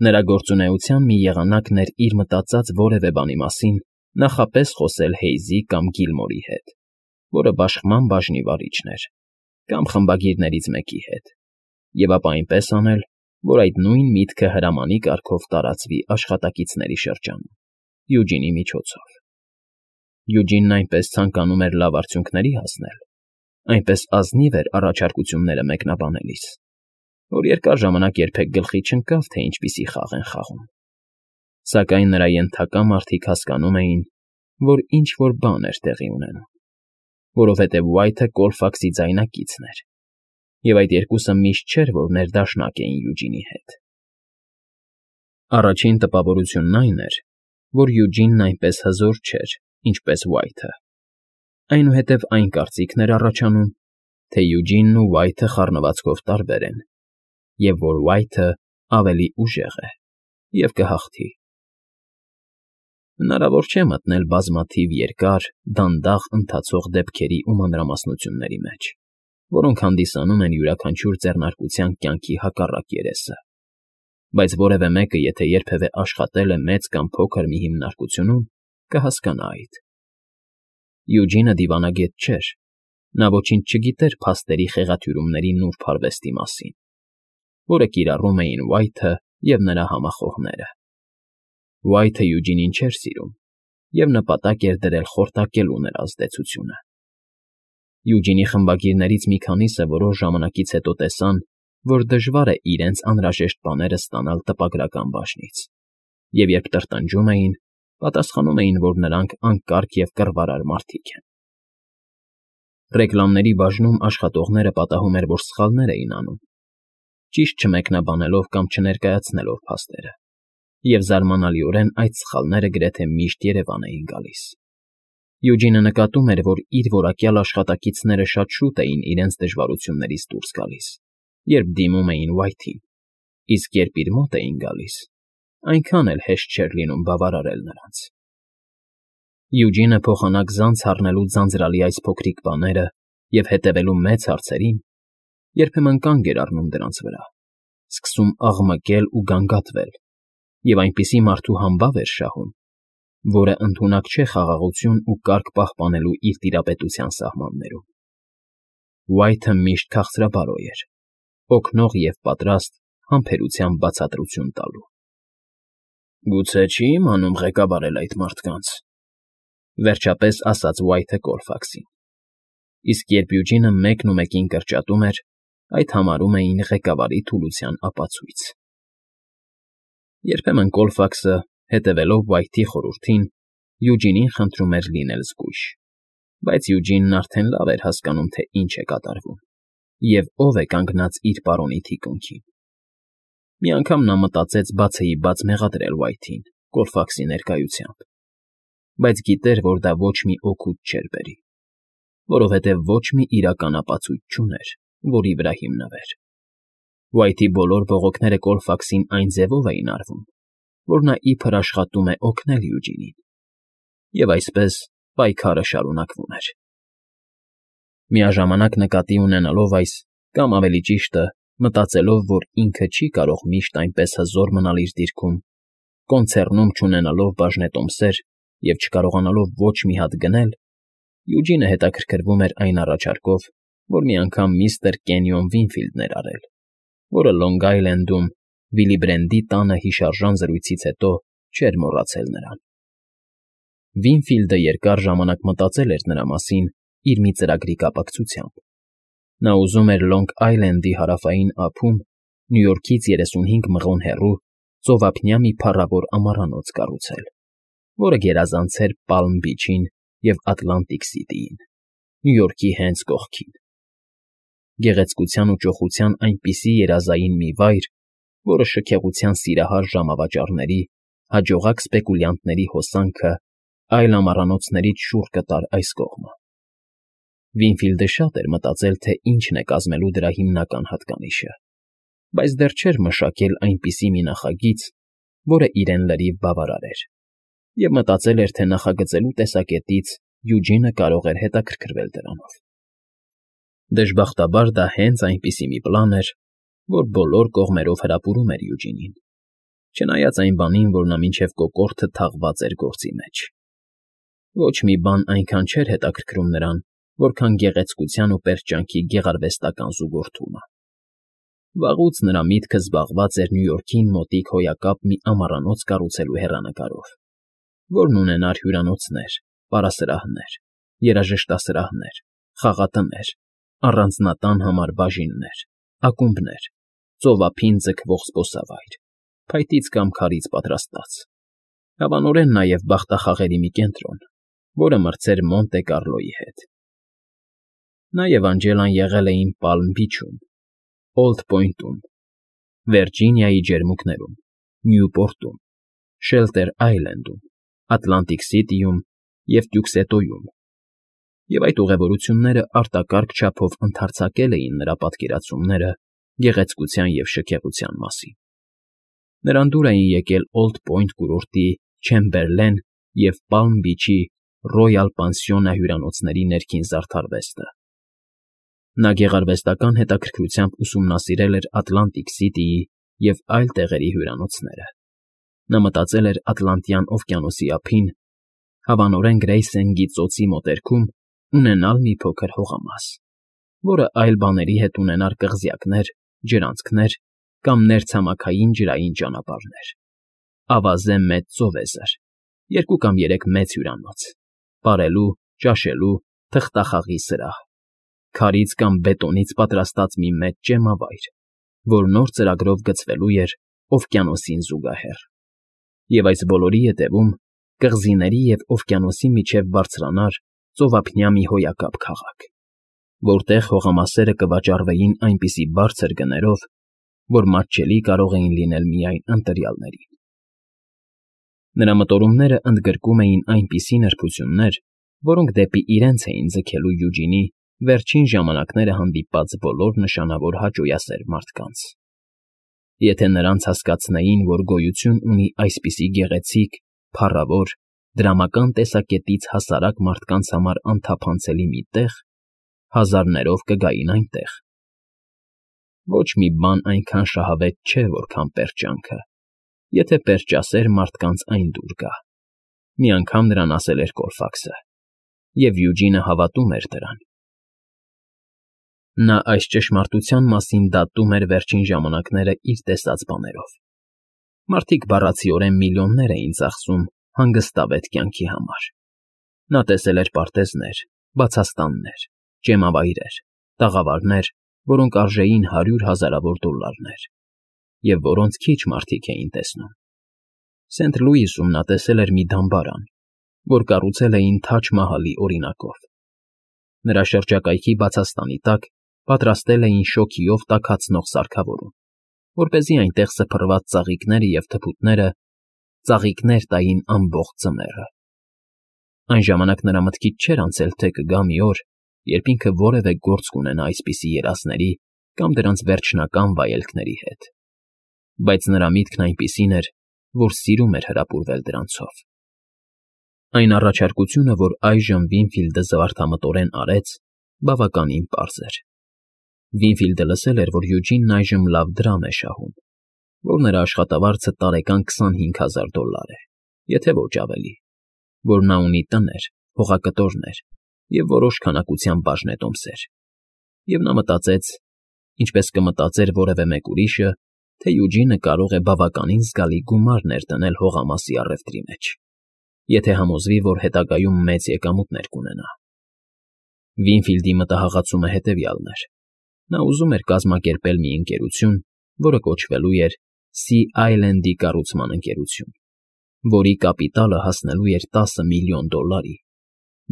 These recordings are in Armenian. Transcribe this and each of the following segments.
Նրա գործունեության մի եղանակն էր իր մտածած որևէ բանի մասին նախապես խոսել Հեյզի կամ Գիլմորի հետ, որը բաշխման բաժնի վարիչն էր, կամ խմբագիրներից մեկի հետ, և ապա այնպես անել, որ այդ նույն միտքը հրամանի կարգով տարածվի աշխատակիցների շրջանում, Յուջինի միջոցով։ Յուջինն այնպես ցանկանում էր լավ արդյունքների հասնել, այնպես ազնիվ էր առաջարկությունները մեկնաբանելիս, որ երկար ժամանակ երբեք գլխի չընկավ, թե ինչպիսի խաղ են խաղում։ Սակայն նրա ենթակա մարդիկ հասկանում էին, որ ինչ֊որ բան էր տեղի ունենում, որովհետև Ուայթը Կոլֆաքսի ձայնակիցն էր, և այդ երկուսը միշտ չէր, որ ներդաշնակ էին Յուջինի հետ։ Առաջին տպավորությունն այն էր, որ Յուջինն այնպես հզոր չէր, ինչպես Ուայթը։ Այնուհետև այն կարծիքն էր առաջանում, թե Յուջինն ու Ուայթը խառնվածքով տարբեր են, և որ Ուայթը ավելի ուժեղ է և կհաղթի։ Հնարավոր չէ մտնել բազմաթիվ երկար, դանդաղ ընթացող դեպքերի ու մանրամասնությունների մեջ, որոնք հանդիսանում են յուրաքանչյուր ձեռնարկության կյանքի հակառակ երեսը, բայց որևէ մեկը, եթե երբևէ աշխատել է մեծ կամ փոքր մի հիմնարկությունում, կհասկանա այդ։ Յուջինը դիվանագետ չէր, նա ոչինչ չգիտեր փաստերի խեղաթյուրումների նուրբ արվեստի մասին, որը կիրառում էին Ուայթը և նրա համախոհները։ Ուայթը Յուջինին չէր սիրում և նպատակ էր դրել խորտակելու նրա ազդեցությունը։ Յուջինի խմբագիրներից մի քանիսը որոշ ժամանակից հետո տեսան, որ դժվար է իրենց անհրաժեշտ բաները ստանալ տպագրական բաժնից, և երբ տրտնջում էին, պատասխանում էին, որ նրանք անկարգ և կռվարար մարդիկ են։ Ռեկլամների բաժնում աշխատողները պատահում էր, որ սխալներ էին անում, ճիշտ չմեկնաբանելով կամ չներկայացնելով փաստերը, և զարմանալիորեն այդ սխալները գրեթե միշտ երևան էին գալիս։ Յուջինը նկատում էր, որ իր որակյալ աշխատակիցները շատ շուտ էին իրենց դժվարություններից դուրս գալիս, երբ դիմում էին Ուայթին, իսկ երբ իր մոտ էին գալիս, այնքան էլ հեշտ չէր լինում բավարարել նրանց։ Յուջինը փոխանակ-զանց առնելու ձանձրալի այս փոքրիկ բաները և հետևելու մեծ հարցերին երբեմն կանգ էր առնում դրանց վրա, սկսում աղմկել ու գանգատվել, և այնպիսի մարդու համբավ էր շահում, որը ընդունակ չէ խաղաղություն ու կարգ պահպանելու իր տիրապետության սահմաններում։ Ուայթը միշտ քաղցրաբարո էր, օգնող և պատրաստ համբերությամբ բացատրություն տալու։ «Գուցե չի իմանում ղեկավարել այդ մարդկանց», վերջապես ասաց Ուայթը Կոլֆաքսին, իսկ երբ Յուջինը մեկն ու մեկին կրճատում էր, այդ համարում էին ղեկավարի թուլության ապացույց։ Երբեմն Կոլֆաքսը, հետևելով Ուայթի խորհրդին, Յուջինին խնդրում էր լինել զգույշ, բայց Յուջինն արդեն լավ էր հասկանում, թե ինչ է կատարվում և ով է կանգնած իր պարոնի թիկունքին։ Մի անգամ նա մտածեց բացեիբաց մեղադրել Ուայթին Կոլֆաքսի ներկայությամբ, բայց գիտեր, որ դա ոչ մի օգուտ չէր բերի, որովհետև ոչ մի իրական ապացույց չուներ, որի վրա հիմնվեր։ Ուայթի բոլոր բողոքները Կոլֆաքսին այն ձևով էին արվում, որ նա իբր աշխատում է օգնել Յուջինին, և այսպես պայքարը շարունակվում էր։ Միաժամանակ նկատի ունենալով այս, կամ ավելի ճիշտը, մտածելով, որ ինքը չի կարող միշտ այնպես հզոր մնալ իր դիրքում, կոնցեռնում չունենալով բաժնետոմսեր և չկարողանալով ոչ մի հատ գնել, Յուջինը հետաքրքրվում էր այն առաջարկով, որ մի անգամ միստր Կենյոն Վինֆիլդն էր արել, որը Լոնգ Այլենդում Վիլիբրենդի տանը հիշարժան զրույցից հետո չէր մոռացել նրան։ Վինֆիլդը երկար ժամանակ մտածել էր նրա մասին իր մի ծրագրի կապակցությամբ։ Նա ուզում էր Լոնգ Այլենդի հարավային ափում, Նյու Յորքից 35 մղոն հեռու, ծովափնյա մի փառավոր ամառանոց կառուցել, որը գերազանցեր Պալմ Բիչին և Ատլանտիկ Սիթիին, Նյու Յորքի հենց կողքին։ Գեղեցկության ու ճոխության այնպիսի երազային մի վայր, որը շքեղության սիրահար ժամավաճառների, հաջողակ սպեկուլյանտների հոսանքը այլ ամառանոցներից շուռ կտար այս կողմը։ Վինֆիլդը շատ էր մտածել, թե ինչն է կազմելու դրա հիմնական հատկանիշը, բայց դեռ չէր մշակել այնպիսի մի նախագիծ, որը իրեն լրիվ բավարարեր, և մտածել էր, թե նախագծելու տեսակետից Յուջինը կարող էր հետաքրքրվել դրանով։ Դժբախտաբար դա հենց այնպիսի մի պլան էր, որ բոլոր կողմերով հրապուրում էր Յուջինին, չնայած այն բանին, որ նա մինչև կոկորդը թաղված էր գործի մեջ։ Ոչ մի բան այնքան չէր հետաքրքրում նրան, որքան գեղեցկության ու պերճանքի գեղարվեստական զուգորդումը։ Վաղուց նրա միտքը զբաղված էր Նյու Յորքին մոտիկ հոյակապ մի ամառանոց կառուցելու հեռանկարով, որն ունենար հյուրանոցներ, պարասրահներ, երաժշտասրահներ, խաղատներ, առանձնատան համար բաժիններ, ակումբներ, ծովափին ձգվող զբոսավայր, փայտից կամ քարից պատրաստած, հավանորեն նաև բախտախաղերի մի կենտրոն, որը մրցեր Մոնտե Կառլոյի հետ։ Նա և Անջելան եղել էին Պալմ Բիչում, Օլդ Պոյնտում, Վիրջինիայի ջերմուկներում, Նյուպորտում, Շելտեր Այլենդում, Ատլանտիկ Սիթիում և Տյուքսետոյում, և այդ ուղևորությունները արտակարգ չափով ընդարձակել էին նրա պատկերացումները գեղեցկության և շքեղության մասին։ Նրան դուր էին եկել Օլդ Պոյնտ կուրորտի Չեմբերլեն և Պալմ Բիչի Ռոյալ պանսիոնա հյուրանոցների ներքին զարդարվեստը։ Նա գեղարվեստական հետաքրքրությամբ ուսումնասիրել էր Ատլանտիկ Սիթիի և այլ տեղերի հյուրանոցները։ Նա մտածել էր Ատլանտյան օվկիանոսի ափին, հավանորեն Գրեյսենգի ծոցի մոտերքում ունենալ մի փոքր հողամաս, որը այլ բաների հետ ունենար կղզյակներ, ջրանցքներ կամ ներցամաքային ջրային ճանապարհներ, ավազե մեծ ծովեզր, 2 կամ 3 մեծ հյուրանոց, պարելու, ճաշելու, թղթախաղի սրահ, քարից կամ բետոնից պատրաստած մի մեծ ճեմավայր, որ նոր ծրագրով գծվելու էր օվկիանոսին զուգահեռ, և այս բոլորի ետևում կղզիների և օվկիանոսի միջև բարձրանար ծովափնյա մի հոյակապ քաղաք, որտեղ հողամասերը կվաճառվեին այնպիսի բարձր գներով, որ մատչելի կարող էին լինել միայն ընտրյալներին։ Նրա մտորումները ընդգրկում էին այնպիսի նրբություններ, որոնք դեպի իրենց էին ձգելու Յուջինի վերջին ժամանակները հանդիպած բոլոր նշանավոր հաճոյասեր մարդկանց։ Եթե նրանց հասկացնեին, որ գոյություն ունի այսպիսի գեղեցիկ, փառավոր, դրամական տեսակետից հասարակ մարդկանց համար անթափանցելի մի տեղ, հազարներով կգային այնտեղ։ Ոչ մի բան այնքան շահավետ չէ, որքան պերճանքը, եթե պերճասեր մարդկանց այն դուր գա, մի անգամ նրան ասել էր Կոլֆաքսը, և Յուջինը հավատում էր դրան։ Նա այս ճշմարտության մասին դատում էր վերջին ժամանակները իր տեսած բաներով։ Մարդիկ բառացիորեն միլիոններ էին ծախսում հանգստավետ կյանքի համար։ Նա տեսել էր պարտեզներ, բացաստաններ, ճեմավայրեր, տաղավարներ, որոնք արժեին 100 հազարավոր դոլարներ, և որոնց քիչ մարդիկ էին տեսնում։ Սենթ Լուիսում նա տեսել էր մի դամբարան, որ կառուցել էին Թաջ Մահալի օրինակով։ Նրա շրջակայքի բացաստանի տակ պատրաստել էին շոգիով տաքացնող սարքավորում, որպեսզի այնտեղ սփռված ծաղիկները և թփուտները ծաղիկներ տային ամբողջ ձմեռը։ Այն ժամանակ նրա մտքից չէր անցել, թե կգա մի օր, երբ ինքը որևէ գործ կունենա այսպիսի երազների կամ դրանց վերջնական վայելքների հետ, բայց նրա միտքն այնպիսին էր, որ սիրում էր հրապուրվել դրանցով։ Այն առաջարկությունը, որ այժմ Վինֆիլդը զվարթամտորեն արեց, բավականին պարզ էր։ Վինֆիլդը լսել էր, որ Յուջինն այժմ լավ դրամ է շահում, որ նրա աշխատավարձը տարեկան $25,000 է, եթե ոչ ավելի, որ նա ունի տներ, հողակտորներ և որոշ քանակությամբ բաժնետոմսեր, և նա մտածեց, ինչպես կմտածեր որևէ մեկ ուրիշը, թե Յուջինը կարող է բավականին զգալի գումար ներդնել հողամասի առևտրի մեջ, եթե համոզվի, որ հետագայում մեծ եկամուտներ կունենա։ Վինֆիլդի մտահղացումը հետևյալն էր. նա ուզում էր կազմակերպել մի ընկերություն, որը կոչվելու էր Sea Island-ի կառուցման ընկերություն, որի կապիտալը հասնելու էր $10 միլիոն,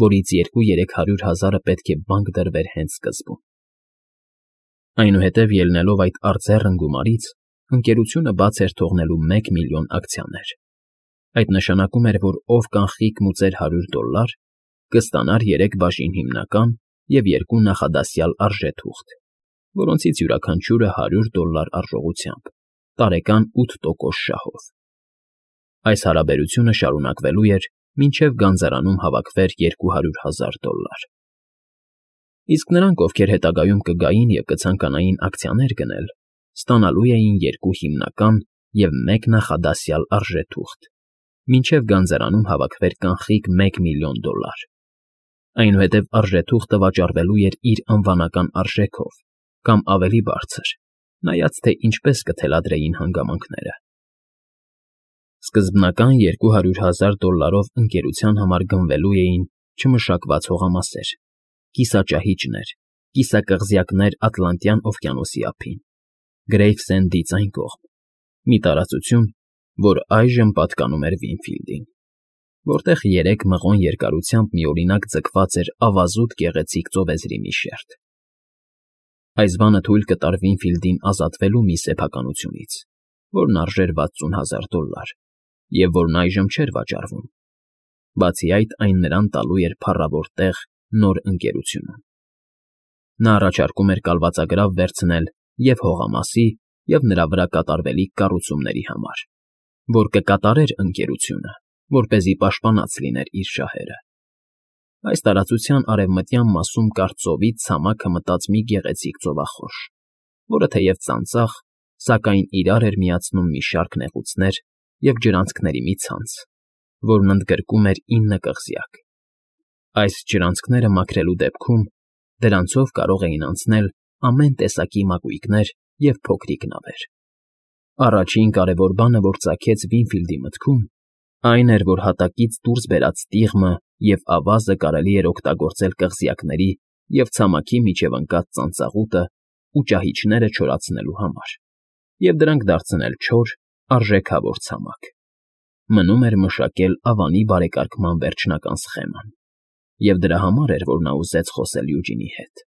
որից 200-300 պետք է բանկ դրվեր հենց սկզբում։ Այնուհետև, ելնելով այդ արձեռն գումարից, ընկերությունը բաց էր թողնելու 1 միլիոն ակցիաներ։ Այդ նշանակում էր, որ ով կանխիկ մուծեր $100, կստանար 3 բաժին հիմնական և 2 նախադասյալ արժեթուղթ, որոնցից յուրաքանչյուրը $100 արժողությամբ, տարեկան 8% շահով։ Այս հարաբերությունը շարունակվելու էր, մինչև գանձարանում հավաքվեր $200,000։ Իսկ նրանք, ովքեր հետագայում կգային և կցանկանային ակցիաներ գնել, ստանալու էին 2 հիմնական և մեկ նախադասյալ արժեթուղթ, մինչև գանձարանում հավաքվեր կանխիկ $1,000,000. Այնուհետև արժեթուղթը վաճառվելու էր իր անվանական արժեքով կամ ավելի բարձր, նայած թե ինչպես կթելադրեին հանգամանքները։ Սկզբնական $200,000 ընկերության համար գնվելու էին չմշակված հողամասեր, կիսաճահիճներ, կիսակղզյակներ Ատլանտյան օվկիանոսի ափին, Գրեյվսենդից այն կողմ, մի տարածություն, որ այժմ պատկանում էր Վինֆիլդին, որտեղ 3 մղոն երկարությամբ միօրինակ ձգված էր ավազուտ գեղեցիկ ծովեզրի մի շերտ։ Այս բանը թույլ կտար Վինֆիլդին ազատվելու մի սեփականությունից, որն արժեր $60,000 և որն այժմ չէր վաճառվում։ Բացի այդ, այն նրան տալու էր փառավոր տեղ նոր ընկերությունում։ Նա առաջարկում էր կալվածագրավ վերցնել և հողամասի, և նրա վրա կատարվելիք կառուցումների համար, որ կկատարեր ընկերությունը, որպեսզի պաշտպանած լիներ իր շահերը։ Այս տարածության արևմտյան մասում կար ծովից ցամաքը մտած մի գեղեցիկ ծովախորշ, որը թեև ծանծաղ, սակայն իրար էր միացնում մի շարք նեղուցներ և ջրանցքների մի ցանց, որն ընդգրկում էր 9 կղզյակ։ Այս ջրանցքները մաքրելու դեպքում դրանցով կարող էին անցնել ամեն տեսակի մակույկներ և փոքրիկ նավեր։ Առաջին կարևոր բանը, որ ծագեց Վինֆիլդի մտքում, այն էր, որ հատակից դուրս բերած տիղմը և ավազը կարելի էր օգտագործել կղզյակների և ցամաքի միջև ընկած ծանծաղուտը ու ճահիճները չորացնելու համար և դրանք դարձնել չոր, արժեքավոր ցամաք։ Մնում էր մշակել ավանի բարեկարգման վերջնական սխեման, և դրա համար էր, որ նա ուզեց խոսել Յուջինի հետ։